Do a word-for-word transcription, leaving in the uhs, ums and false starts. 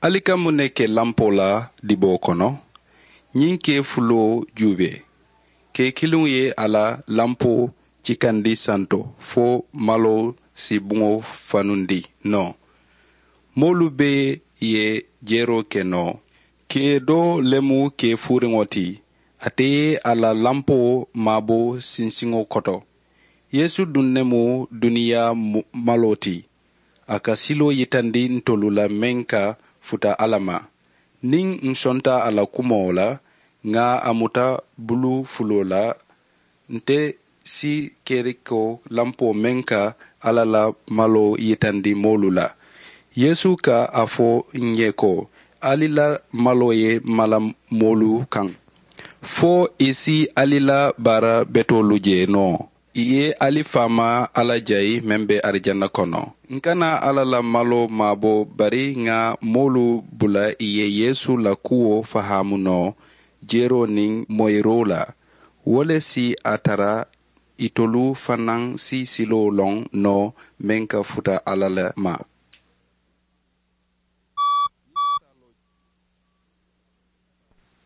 Ali ka muŋ ne ke lampoo la diboo kono? Ñiŋ kee fuloo juubee. Kee kiliŋo ye a la lampoo cikandi santo fo maloo si buŋo fanundi noo. Moolu bee ye jeroo ke noo. Kee doo le mu kee fuuriŋo ti. Ate ye a la lampoo maabo sinsiŋo koto. Yeesu duŋ ne mu duniyaa maloo ti. A ka siloo yitandi ntolu la meŋ ka futa alla ma. Niŋ nsonta a la kumoo la, ŋà a muta bulu fuloo la. Nte si kerikoo lampoo meŋ ka alla la maloo yitandi moolu la. Yeesu ka a fo ǹ ye ko, ali la maloo ye mala moolu kaŋ fo ì si ali la baara betoolu je noo. Ì ye ali faamaa alla jayi meŋ be arijana kono. Ǹ kana alla la maloo maabo bari ŋà moolu bula ì ye yeesu la kuwo fahaamu noo. Jeroo niŋ moyiroo la wo le si a tara itolu fanaa si siloo loŋ noo meŋ ka futa alla le ma.